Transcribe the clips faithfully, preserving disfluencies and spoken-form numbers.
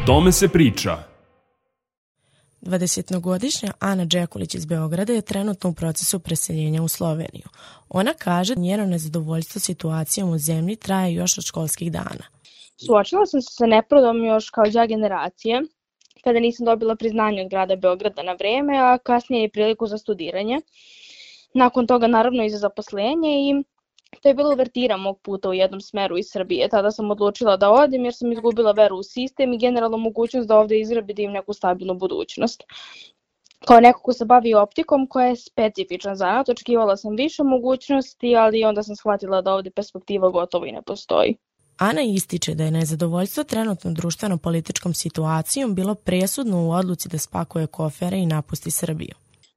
tome se priča. dvadesetogodišnja Ana Đekulić iz Beograda je trenutno u procesu preseljenja u Sloveniju. Ona kaže da njeno nezadovoljstvo situacijom u zemlji traje još od školskih dana. Suočila sam se sa nepravdom još kao đak generacije, kada nisam dobila priznanje od grada Beograda na vreme, a kasnije i priliku za studiranje. Nakon toga naravno i za zaposlenje i to je bila uvertira mog puta u jednom smeru iz Srbije. Tada sam odlučila da odem jer sam izgubila veru u sistem i generalno mogućnost da ovde izgradim neku stabilnu budućnost. Kao neko ko se bavi optikom koja je specifičan zanat, očekivala sam više mogućnosti, ali onda sam shvatila da ovde perspektiva gotovo i ne postoji. Ana ističe da je nezadovoljstvo trenutnom društveno-političkom situacijom bilo presudno u odluci da spakuje kofere i napusti Srbiju.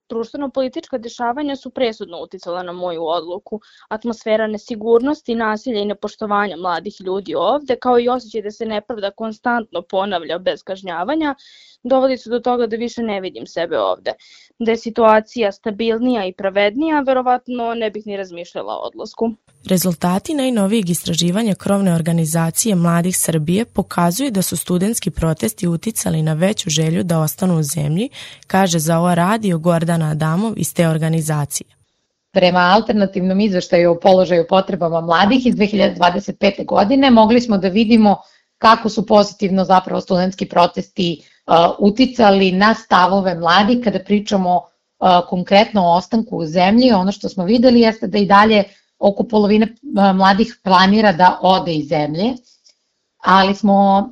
Društveno-politička dešavanja su presudno uticala na moju odluku. Atmosfera nesigurnosti, nasilja i nepoštovanja mladih ljudi ovde, kao i osjećaj da se nepravda konstantno ponavlja bez kažnjavanja, dovodi su do toga da više ne vidim sebe ovde. Da je situacija stabilnija i pravednija, verovatno ne bih ni razmišljala o odlasku. Rezultati najnovijeg istraživanja krovne organizacije Mladih Srbije pokazuju da su studentski protesti uticali na veću želju da ostanu u zemlji, kaže za ovo radio Gordana Adamov iz te organizacije. Prema alternativnom izveštaju o položaju potrebama mladih iz dve hiljade dvadeset pete. godine mogli smo da vidimo kako su pozitivno zapravo studentski protesti uh, uticali na stavove mladih kada pričamo uh, konkretno o ostanku u zemlji. Ono što smo videli jeste da i dalje oko polovine mladih planira da ode iz zemlje, ali smo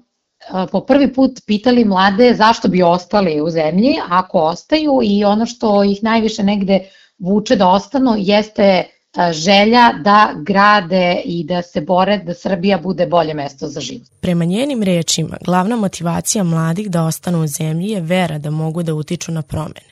po prvi put pitali mlade zašto bi ostali u zemlji ako ostaju i ono što ih najviše negde vuče da ostanu jeste želja da grade i da se bore da Srbija bude bolje mesto za život. Prema njenim rečima, glavna motivacija mladih da ostanu u zemlji je vera da mogu da utiču na promene.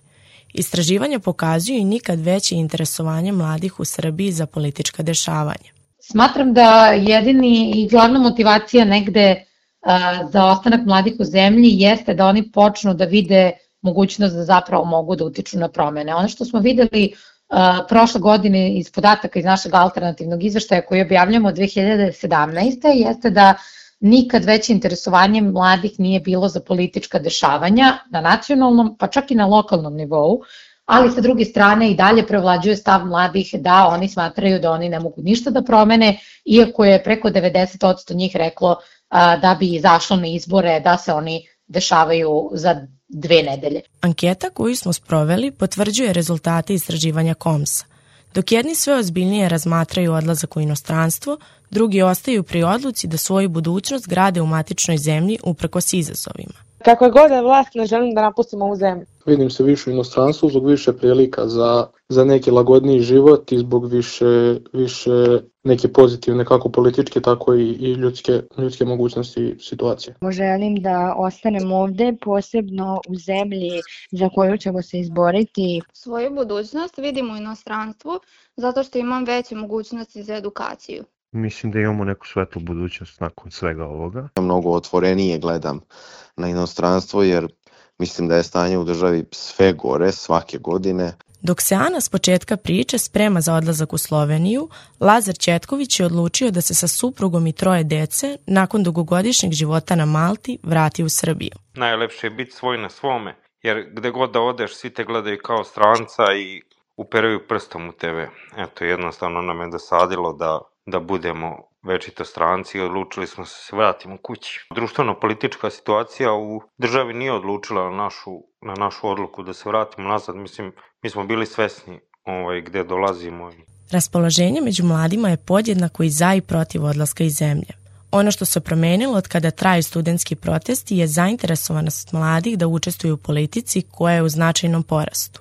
Istraživanja pokazuju i nikad veće interesovanje mladih u Srbiji za politička dešavanja. Smatram da jedini i glavna motivacija negde uh, za ostanak mladih u zemlji jeste da oni počnu da vide mogućnost da zapravo mogu da utiču na promene. Ono što smo videli uh, prošle godine iz podataka iz našeg alternativnog izveštaja koji objavljamo dve hiljade sedamnaeste. jeste da nikad veće interesovanje mladih nije bilo za politička dešavanja na nacionalnom, pa čak i na lokalnom nivou, ali sa druge strane i dalje prevlađuje stav mladih da oni smatraju da oni ne mogu ništa da promene, iako je preko devedeset posto njih reklo a, da bi izašlo na izbore, da se oni dešavaju za dve nedelje. Anketa koju smo sproveli potvrđuje rezultate istraživanja Komsa. Dok jedni sve ozbiljnije razmatraju odlazak u inostranstvo, drugi ostaju pri odluci da svoju budućnost grade u matičnoj zemlji uprkos izazovima. Kako je god je vlast, ne želim da napustimo ovu zemlju. Vidim se više u inostranstvu zbog više prilika za, za neki lagodniji život i zbog više, više neke pozitivne kako političke, tako i, i ljudske, ljudske mogućnosti situacije. Želim da ostanem ovde, posebno u zemlji za koju ćemo se izboriti. Svoju budućnost vidim u inostranstvu zato što imam veće mogućnosti za edukaciju. Mislim da imamo neku svetlu budućnost nakon svega ovoga. Mnogo otvorenije gledam na inostranstvo jer mislim da je stanje u državi sve gore svake godine. Dok se Ana s početka priče sprema za odlazak u Sloveniju, Lazar Ćetković je odlučio da se sa suprugom i troje dece, nakon dugogodišnjeg života na Malti, vrati u Srbiju. Najlepše je biti svoj na svome, jer gde god da odeš, svi te gledaju kao stranca i uperaju prstom u tebe. Eto, jednostavno nam je dosadilo da, da budemo večito stranci i odlučili smo se se vratimo kući. Društveno-politička situacija u državi nije odlučila na našu, na našu odluku da se vratimo nazad. Mislim, mi smo bili svesni ovaj, gde dolazimo. Raspoloženje među mladima je podjednako i za i protiv odlaska iz zemlje. Ono što se promenilo od kada traju studentski protesti je zainteresovanost mladih da učestvuju u politici koja je u značajnom porastu.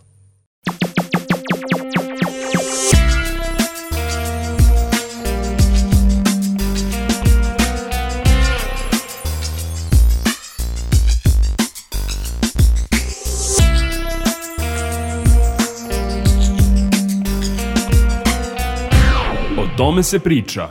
O tome se priča.